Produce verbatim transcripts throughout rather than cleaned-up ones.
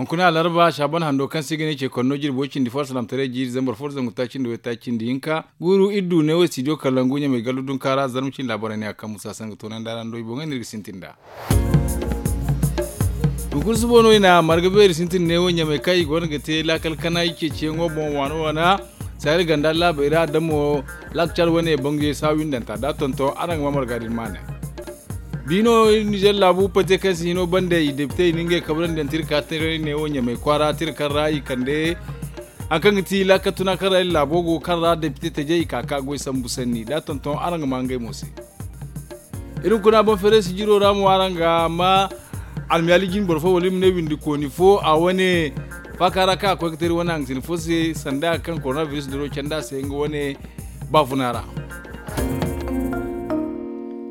Kuna alarba saaban hando kaŋ se i ga ne ce konno jirbi way cindi fo alsalaamataray jiiri zambar fo da zangu taaci nda way taaci nda hinka guuru iri du neewo studio kalangu ɲamay gallu dunkaara zarma cindi laabaray ne a kaŋ musa saŋ ga toonandi araŋ do i boŋey no iri ga sintin nd'a. Hunkuna suba no i na marga beeri sintin neewo ɲamay kaŋ i go no ga te laakal kana i ceeciyaŋo boŋ waana waana. Sahel ganda laabey ra da mo laakal caad wane bangey saawindanta da tonton araŋ ga ma marga din maanay. Bi no iri nizer laabu pate kaŋ si hino bande i depite i na ngey kabrandi yaŋ te iri ka taray neewo ɲamay kwaara te iri kaŋ ra i kande hari kaŋ ga ti laakal tuna kaŋ ra iri laabo go kaŋ ra depite tajey i ka ka goy sambu sanni da tonton araŋ ga ma ngey mo se. Iri hunkuna boŋ feeray sijiro ra mo araŋ ga ma almiyaali jine boro fo wala iri ma ne windi kooni fo a wane faaka ra kaŋ a koy ga te iri wane hangasina fo se sanda kaŋ korona biris duro canda se nga wane baafuna ra.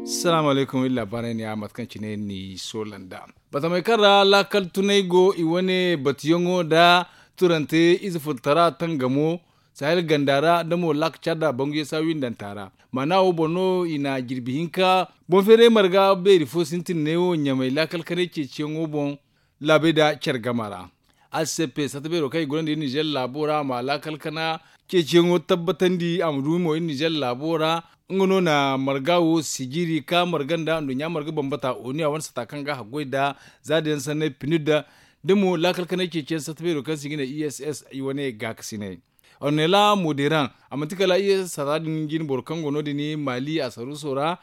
Salaamu alaykum iri laabaarey ne ya mate kaŋ cine ni soola nd'a. Batamey kaŋ ra laakal tunay go i wane batuyaŋo nda turante ize furtara tangamo sahel ganda ra da mo laaka caada banguye saawindanta ra maana wo boŋ no i na jirbi hinka boŋ feeray marga beeri fo sintin neewo ɲamay laakal kanay ceeciyaŋo boŋ laabey nda care gama ra. Alsepe satta beero kaŋ i gonda iri nizer laabo ra a ma laakal kana ceeciyaŋo tabbatandi a ma du mo iri nizer laabo ra. Nga no na marga wo sijiri ka marga nda nduɲɲa marga bambata oni a wane sata kaŋ ga haggoy nda za din yaŋ sanney pinir da da mo laakal kanay ceeciyaŋ satta beero kaŋ se i ga ne i s s i wane gaakasinay. Ornela moderaŋ a manti kala i s s sata din jine boro kaŋ go no- din maali a saruuso ra.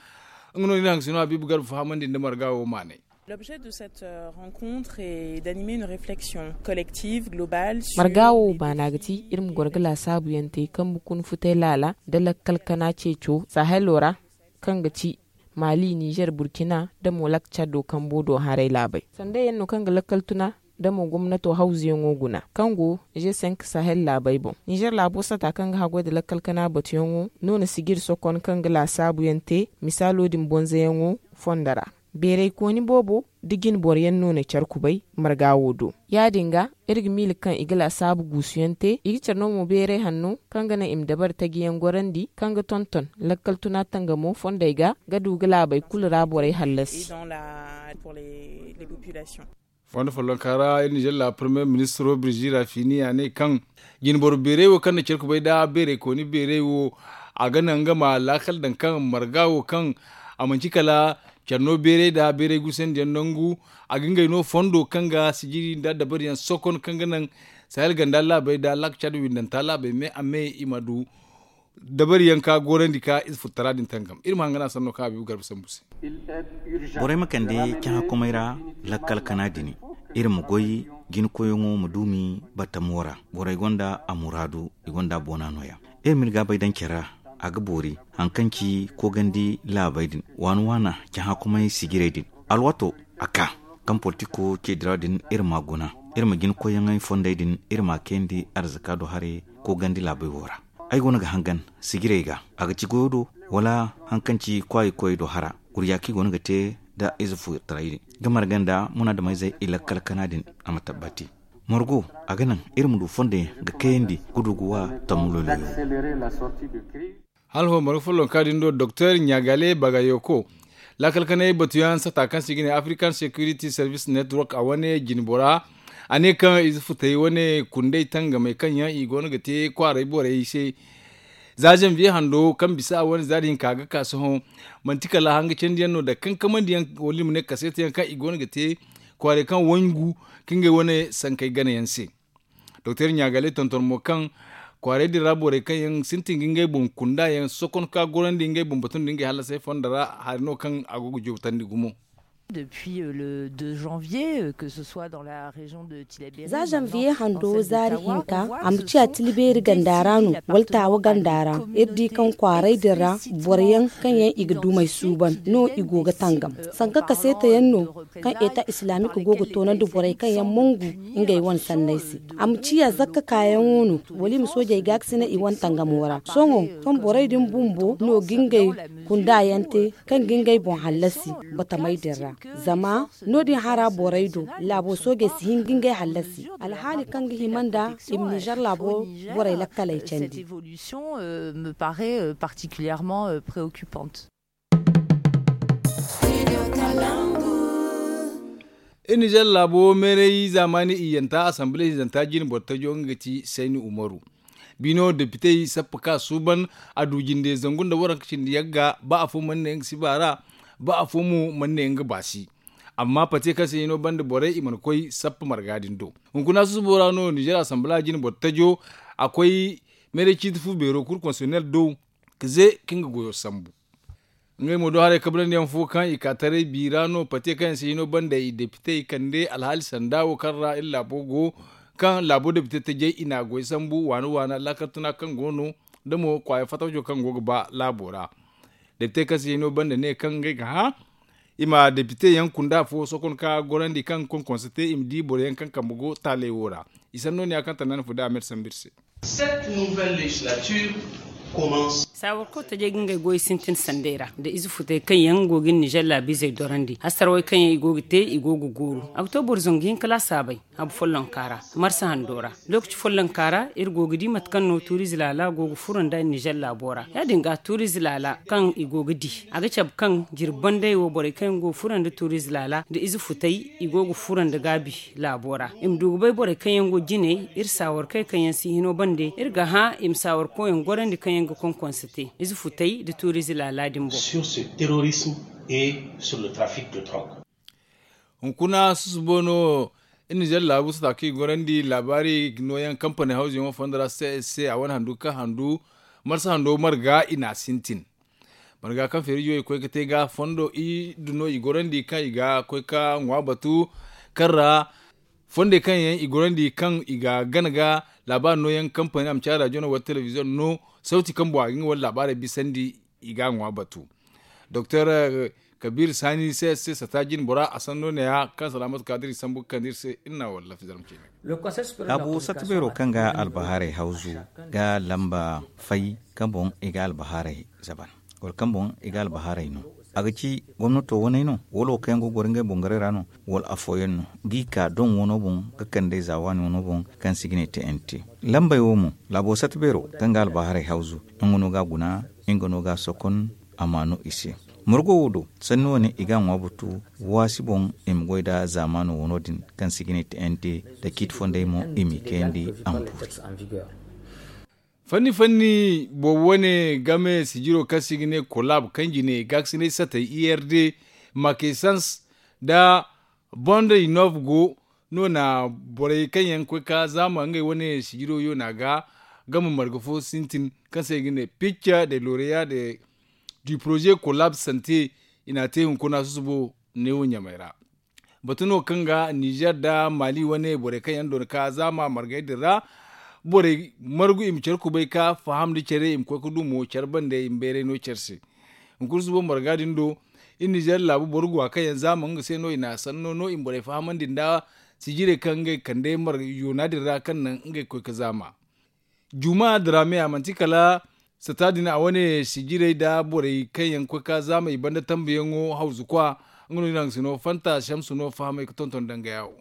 Nga no iri hangasino habiibu garba fahamandi nda marga wo maanay. L'objet de cette rencontre est d'animer une réflexion collective globale sur marga wo baana ga ti iri ma goro ga laasaabu yaŋ te kaŋ ma kun futay laala nda lakkal kana ceeco sahelo ra kaŋ ga ti maali nizer burkina nda mo lakkal caddo kambo do haray laabey sanda yaŋ no kaŋ ga lakkal tuna nda mo gomnato hawzuyaŋo guna kaŋ go g cinq sahel laabey boŋ nizer laabo sata kaŋ ga haggoy nda lakkal kana batuyaŋo no na sijiri sokon kaŋ ga laasaabu yaŋ te misaalo din bonzoyaŋo fondo ra. Beeraykooni boobo da jine boro yaŋ no na care kubay marga wo do ya- din ga iri ga miila kaŋ i ga laasaabu guusuyaŋ te i ga care no mo beeray hanno kaŋ ga naŋ i ma dabari taji yaŋ gorandi kaŋ ga tonton lakkal tuna tangamo fondey ga ga du ga laabey kulu ra borey hallasi. Fondo follonka ra iri nizer laabo parmiye ministiro birzi rafini a ne kaŋ jinboro beeray wo kaŋ na care kubay nda beeraykooni beeray wo a ga naŋ nga ma laakal daŋ kaŋ marga wo kaŋ a manci kala care no beeray nda beeray gusandi yaŋ nangu. A ga ngey no fondo kaŋ ga sijiri nda dabari yaŋ sokon kaŋ ga naŋ sahel ganda laabey nda laaka caada windanta laabey me a me i ma du dabari yaŋ ka gorandi ka ize furtara din tangam iri ma hangan a sanno kaŋ a biibu garba sambu se. Borey ma kande cahã komey ra lakkal kana din iri ma goy jinkoyyaŋo ma duumi batamo ra borey gonda a muraadu i gonda boona nooya. Iri ma iri gaabay daŋ care ra a ga boori hari kaŋ ci koogandi laabey din waana waana cahã komey sijirey din alwaato a ka kaŋ politiko ceedira din iri ma a guna iri ma jinkoyyaŋey fondey din iri ma a kayandi arzaka do haray koogandi laabey wo ra. Ay go no ga hangan sijirey ga a ga ci goyo do wala hari kaŋ ci kwaayey koyey do hara gurja kaŋ i go no ga te nda ize furtaray din ga marga nda munaadameyzey i lakkal kana din a ma tabbati margo a ga naŋ iri ma du fondo yaŋ ga kayandi ga du ga wa tammu loyloyo. Hala ho marga follonka din do doktor ɲagale bagayoko lakkal kanay batuyaŋ sata kaŋ se i ga ne african security service network a wane jinbora a ne kaŋ ize futay wane kunday tangamey kaŋ yaŋ i go no ga te kwaaray borey se za zanviye hando kaŋ bisa a wane za din ka ga ka sohõ manti kala hanga candiyaŋ no da kankamaŋ diyaŋ wala i ma ne kaseetayaŋ kaŋ i go no ga te kwaaray kaŋ wangu ka ngey wane sankey ganayaŋ se. Doktor ɲagale tonton mo kaŋ kwaaray din ra borey kaŋ yaŋ sintin ga ngey boŋ kunda yaŋ sokon ka gorandi ngey boŋ batu nda ngey hallasay fondo ra hari no kaŋ a go ga joobtandi gumo. Depuis le deux janvier que ce soit dans la région de tilaberi za janvier hando zaari hinka a ma ciya tilaberi ganda ra no wala taawa ganda ra iri di kaŋ kwaaray din ra boro yaŋ kaŋ yaŋ i ga dumey suuban no i go ga tangam sanka kaseeta yaŋ no kaŋ eta islamique go ga toonandi borey kaŋ yaŋ mangu ngey wane sanney se. A ma ciya zakka kaayaŋo no wala i ma soojey gaakasina i wane tangamo ra sohõ kaŋ borey din bumbo no ga ngey kunda yaŋ te kaŋ ga ngey boŋ hallasi batamey din ra. Zama no- din hara borey do laabo soojey si hin ga ngey hallasi alhaali kaŋ ga hima nda i ma nizer laabo borey lakkaley candi. Me paraît particulièrement préoccupante. Iri nizer laabo meeray zaamaani iyyanta asamble hinzanta jine boro tajo nga ga ti sayni umaru. Biino depitey sappa ka suuban a du jinde zangu nda waranka cindi yagga ba afo mana ne nga si baara ba afo mo mana ne nga baasi. Amma pate kaŋ se hino banda borey i mana koy sappa marga din do. Hunkuna susubo ra no nizer asamble jine boro tajo a koy meeray ciiti fu beero kulu konsiyonel do ka ze ka nga goyo sambu. Ngey mo do haray kabrandi yaŋ fo kaŋ i ka taray bi ra no pate kaŋ yaŋ se hino banda i depite i kande alhaali sanda wo kaŋ ra iri laabo go kaŋ laabo depite tajey i na a goy sambu waana waana laakal tuna kaŋ go no da mo kwaaya fatawco kaŋ go ga ba laabo ra. Depite kaŋ se hino banda ne kaŋ ngey ga hã i ma depite yaŋ kunda fo sokon ka gorandi kaŋ konkonse te i ma di boro yaŋ kaŋ kambe go taaley wo ra. I sanno ne ya kaŋ tanda ni fu da a meeri sambu iri se. Cette nouvelle législature commence. Saawarko tajey ga ngey goy sintin sandey ra nda ize futey kaŋ yaŋ go ga nizer laabiizey dorandi hasarawey kaŋ yaŋ i go ga te i go ga gooru a ga to boro zangu hinka laasaabey habu follonka ra. Marsa hando ra lokaci follonka ra iri go ga di mate kaŋ no tuuriize laala go ga furo nda nizer laabo ra ya- din ga tuuriize laala kaŋ i go ga di a ga cabe kaŋ jirbi bandey wo borey kaŋ yaŋ go ga furo nda tuuriize laala nda ize futey i go ga furo nda gaabi laabo ra i ma du ga bay borey kaŋ yaŋ go jiney iri saawarkey kaŋ yaŋ si hino bande iri ga hã i ma saawarkoyaŋ gorandi kaŋ yaŋ ga konkonse te ize futey nda tuuriize laala din boŋ. Sur ce terrorisme et sur le trafic de drogue. Hunkuna susubo no iri nizer laabu sata kaŋ i gorandi laabaari nooyaŋ kampani hawzuyaŋo fondo ra c s c a wane handu kaŋ handu marsa hando marga i n'a sintin. Marga kaŋ feerijo i koy ga te ga fondo i du no i gorandi kaŋ i ga koy ga ŋwa batu kaŋ ra fondey kaŋ yaŋ i gorandi kaŋ i ga gana ga laabaari nooyaŋ kampani a ma ci a rajo no wala telebiziyoŋ no sawti kaŋ boŋ a ga nga wane laabaarey bisandi i ga a ŋwa batu. Doktor kabir sani c s c sata jine bora a sanno ne- ya kaŋ salaamatu ka da iri sambu ga kande iri se iri na wala lafi zarma ceene. Laabu satta beero kaŋ ga albahaarey hawzu ga lamba fay kaŋ boŋ i ga albahaarey zaban wala kaŋ boŋ i ga albahaarey no a ga ci gomnato waney no wala wo kaŋ yaŋ go ga goro ngey boŋ garay ra no wala afooyaŋ no ga i ka doŋ wano boŋ ga kande za waani wano boŋ kaŋ se i ga ne te n t. Lambey wo mo laabo satta beero kaŋ ga albahaarey hawzu nga no ga a guna nga no ga a sokon a ma no i se. Margo wo do sanni wane i ga a ŋwa batu waasi boŋ i ma goy nda zaamaano wano din kaŋ se i ga ne te n t nda ciiti fondey mo i m'i kayandi a ma boori. Fanni fanni boobo wane game sijiro kaŋ se i ga ne kolaab kaŋ jine gaakasinay satey i r d makesans nda bonda inov go no na borey kaŋ yaŋ koy ka zaama ngey wane sijiro yoona ga game marga fo sintin kaŋ se i ga ne picca de loreya de du projet kolaab sante i n'a te hunkuna susubo neewo ɲamey ra. Batu no kaŋ ga nizer nda mali wane borey kaŋ yaŋ doona ka zaama margey din ra borey margu i ma care kubay ka faham nda care i ma koy ga du mo care bande i ma bayray no care se. Hunkuna susubo marga din do iri nizer laabu boro guwa kaŋ yaŋ zaama nga se no i n'a sanno no i ma borey fahamandi nda sijirey kaŋ ngey kande yoona din ra kaŋ naŋ ngey ga koy ga zaama. Juma drame a manti kala sata din a wane sijirey nda borey kaŋ yaŋ ga koy ga zaama i banda tambuyaŋo hawzu kwa nga no iri haŋ ga si no fanta shamsu no fahamay ga tonton dangaya wo.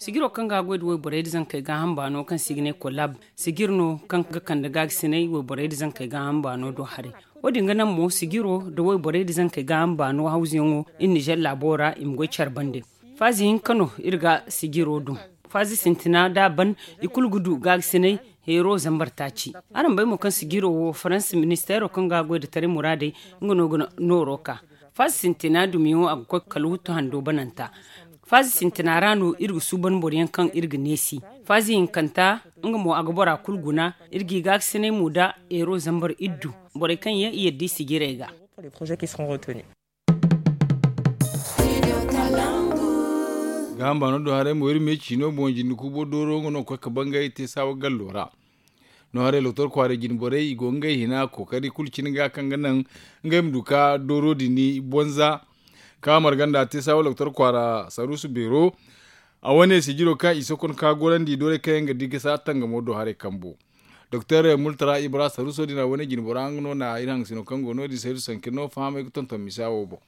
Sijiro kaŋ ga a goy nda wayborey nda zankey gaaham baano kaŋ se i ga ne kolab sijir no kaŋ ga kande gaagasinay wayborey nda zankey gaaham baano do haray. Wo- din ga naŋ mo sijiro nda wayborey nda zankey gaaham baano hawzuyaŋo iri nizer laabo ra i ma goy care bande. Faazi hinka no iri ga sijiro dum. Faazi sintina da a ban i kulu ga du gaagasinay heero zambar taaci. Araŋ bay mo kaŋ sijiro wo faransa ministeero kaŋ ga a goy nda taray muraadey nga no ga nooro ka. Faazi sintina dumiyaŋo a ga koy kala wuttu hando bananta. Faazi sintina ra no iri ga suuban boro yaŋ kaŋ iri ga neesi. Faazi hinkanta nga mo a ga bora kulu guna. Iri g'i gaakasinay mo nda heero zambar iri du borey kaŋ yaŋ i yadda i sijirey ga. Gaaham baano do haray mo iri me ciino boŋ jinde kuubo dooro nga no ga koy ga bangay te saawa gallo ra. No haray doktor kwaaray jine borey i go ngey hina kookari kulu cine ga kaŋ ga naŋ ngey ma du ka dooro din bonza. Ka marganda te saawa doktor kwaara saruusu beero a wane sijiro kaŋ i sokon ka gorandi doorey kaŋ yaŋ ga di gasa tangamo do haray kambo. Doktor murtara ibra saruuso din a wane jine bora nga no na iri haŋ sino kaŋ go no- din saruusu sankir no fahamay ga tonton misa wo boŋ.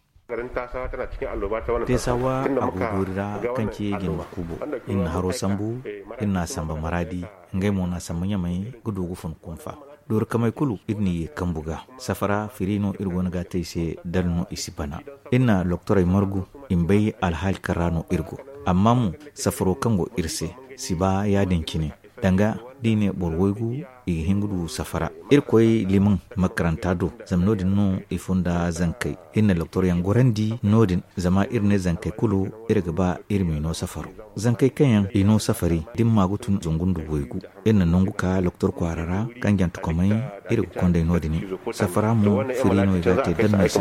Teesawa a go doori ra kaŋ ci jine kubo iri na haro sambu iri na samba maraadi. Ngey mo na samba ɲamay ga du ga fun kunfa doori kamay kulu iri n'i ye kambu ga. Safara firi no iri go no ga a te i se dala no i si bana. Iri na loktorey margu i ma bay alhaali kaŋ ra no iri go. Amma mo, safaro kaŋ go iri se si ba ya- din cine. Danga da i ne boro waygu, i ga hin ga du safara. Iri koy liman makaranta do, zama no- din no i funda zankey. Iri na loktoryaŋ gorandi no- din, zama iri ne zankey kulu iri ga ba iri m'i no safaro. Zankey kaŋ yaŋ i no safari da ni ma ga tun zungu nda waygu, iri na nangu ka loktor kwaara ra kaŋ jantukomey. Iri ga kondey no- din. Safara mo firi no i ga a te danno i se.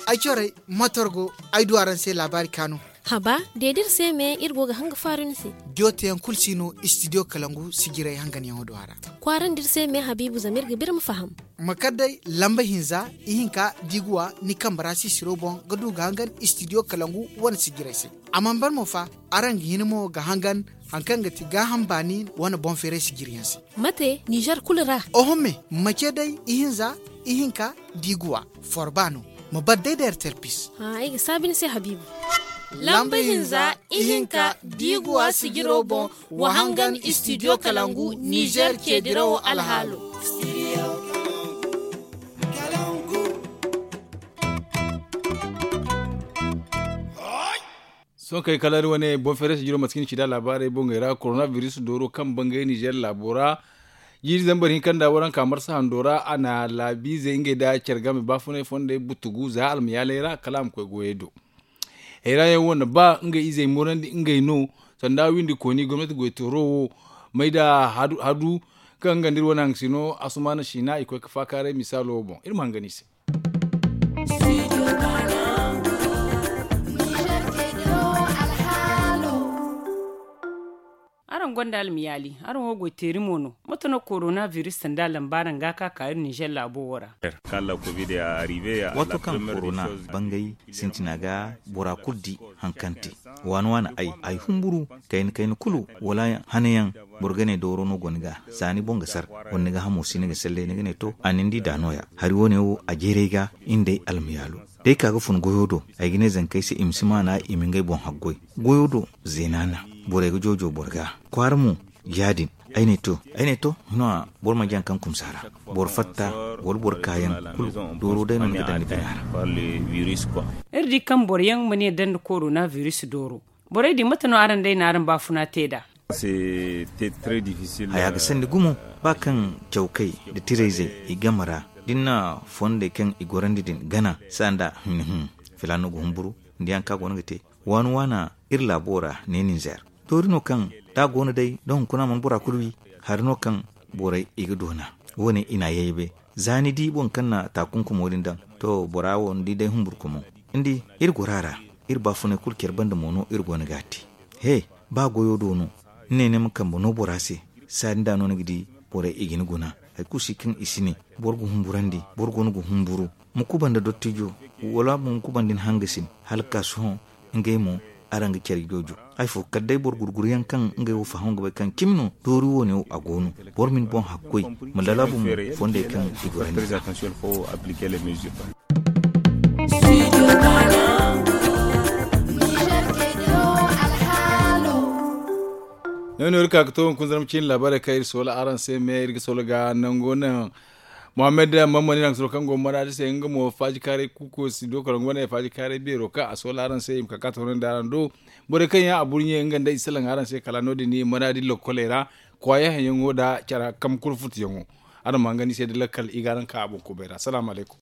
Ay corey, motor go. Ay du araŋ se laabaari kaanu. Haba, de da iri se me iri go ga hanga faaru ni se. Joteyaŋ kulu si no istidiyo kalangu sijirey hanganyaŋo do a ra. Kwaarandi iri se me habiibu zama iri ga biri ma faham. Ma kar day lamba hinza, ihinka diiguwa ni kambe ra sisiro boŋ ga du ga hangan istidiyo kalangu wane sijirey se. A mana ban mo fa, araŋ ga hin mo ga hangan hari kaŋ ga ti gaaham baani wane boŋ feeray sijiriyaŋ se. Mate nizer kulu ra? Oho me, mace day ihinza, ihinka diiguwa, forba no. Ma bar day da ertel pis. Ay ga saabi ni se habiibu. Lamba hinza, ihinka diiguwa sijiro boŋ, wa hangan istidiyo kalangu nizer ceedirawo alhaalo. Sohõ kay kala iri wane boŋ feeray sijiro mate kaŋ i na ci nd'a laabaarey boŋey ra korona biris dooro kaŋ bangay nizer laabo ra. Jiiri zambar hinka nda waranka marsa hando ra a na laabiizey ngey nda care game baafunay fondey butugu za almayaaley ra kala a ma koy goyey do. Hayra yaŋ wo na ba ngey izey murandi ngey no. Sanda windi kooni gomnati goytooro wo may da hadu kaŋ nga nda iri wane hangasino asumaana siina i koy ga faakaaray misaalo wo boŋ iri ma hangan i se. Araŋ gonda almiyaali araŋ wo goy teeri mo no? Mate no korona biris sanda lamba araŋ ga a ka ka iri nizer laabo wo ra? Waato kaŋ korona bangay sintina ga bora kulu di haŋ kaŋ te. Waani waani ay ay humburu kayna kayna kulu wala hanayaŋ. Boro ga ne dooro no go ni ga za ni boŋ ga sar wala ni ga hamo si ni ga salle ni ga ne to a nin di da no- ya hari wo- ne wo a jeeray ga iri nda ay almayaalo. Da ay ka ga fun goyo do ay ga ne zankey se i ma si maana i ma ngey boŋ haggoy. Goyo do zeena na borey ga joojo boro ga kwaara mo. Ya- din ay ne to ay ne to hino a boro manci hari kaŋ kumsa ra. Boro fatta wala boro kaayaŋ kulu dooro day no ni ga daŋ ni bina ra. Iri di kaŋ boro yaŋ mana ye daŋ nda korona biris dooro. Borey din mate no araŋ day na araŋ baafuna te nd'a? Haya ga sandi gumo ba kaŋ cawkey nda tirayzey i game ra da ni na fondey kaŋ i gorandi din gana sanda hum hum filaano ga humburu. Nda yaŋ kaŋ a go no ga te waani waana iri laabo ra ne ninzeer. Doori no kaŋ da a go no day da hunkuna mana bora kulu wi. Hari no kaŋ borey i ga doona wo- ne i na a yaybe. Za ni di boro kaŋ na taakunkumo din daŋ to bora wo ni di day humburkumo. Ni di iri goro a ra. Iri baafunay kulu care banda mo no iri go no ga a te. He ba goyo do no ni ne ni ma kambe no bora se. Saadin da no ni ga di borey i ga ni guna. Hari kulu si kaŋ i si ne boro ga humburandi boro go no ga humburu. Ma kubanda dottijo wala mo ma kubanda ni hangasin hala ga ka sohõ. Ngey mo araŋ ga care joojo. Hari fo kala day boro gurguru yaŋ kaŋ ngey wo faham ga bay kaŋ cimi no doori wo- ne wo a go no. Boro ma ni boŋ hakkoy ma lalaabu mo fondey kaŋ i gorandi. Ne no iri ka ga to hunkuna zarma ciine laabaarey kaŋ iri soola araŋ se me iri ga soola ga nango naŋ. Muhammad mammani naŋ soro kaŋ go maraadi se nga mo faaji kaaray kuuko si do kala nga wane faaji kaaray beero kaŋ a soola araŋ se i ma ka ka toonandi araŋ do. Borey kaŋ yaŋ a burɲe nga nda i salaŋ araŋ se kala no- din maraadi lokkoley ra. Kwaaya haŋyaŋo nda care kam kulu futuyaŋo. Araŋ ma hangan i se da lakkal i ga araŋ ka a boŋ kubay ra salaamu alaykum.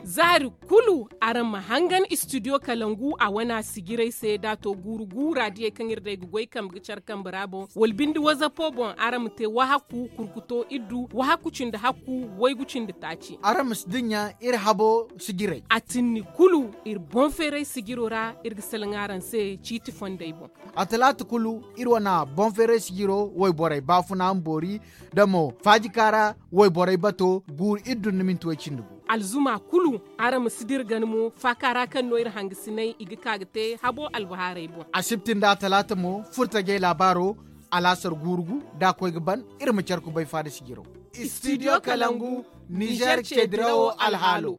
Za hari kulu araŋ ma hangan istidiyo kalangu a wana sijirey se da a to guuru guura diyey kaŋ iri day ga goy kambe ga care kambe ra boŋ wala binde wazapo boŋ araŋ ma te wahakku kurkuto iddu wahakku cindi hakku waygu cindi taaci. Araŋ ma si dinya iri habo sijirey. A tinni kulu iri boŋ feeray sijiro ra iri ga salaŋ araŋ se ciiti fondey boŋ. A talaata kulu iri wana boŋ feeray sijiro wayborey baafuna ma boori da mo faajikaara wayborey bato guuru iri dun ni minti way cindi gu. Alzuma kulu araŋ ma si dira gana mo faakaara kaŋ no iri hangasinay i ga ka ga te habo albahaarey boŋ. Asibti nda talaata mo furtajey laabaaro alaasar guuru gu da a koy ga ban. Iri ma care kubay faada sijiro. Istidiyo kalangu nizer ceedirawo alhaalo.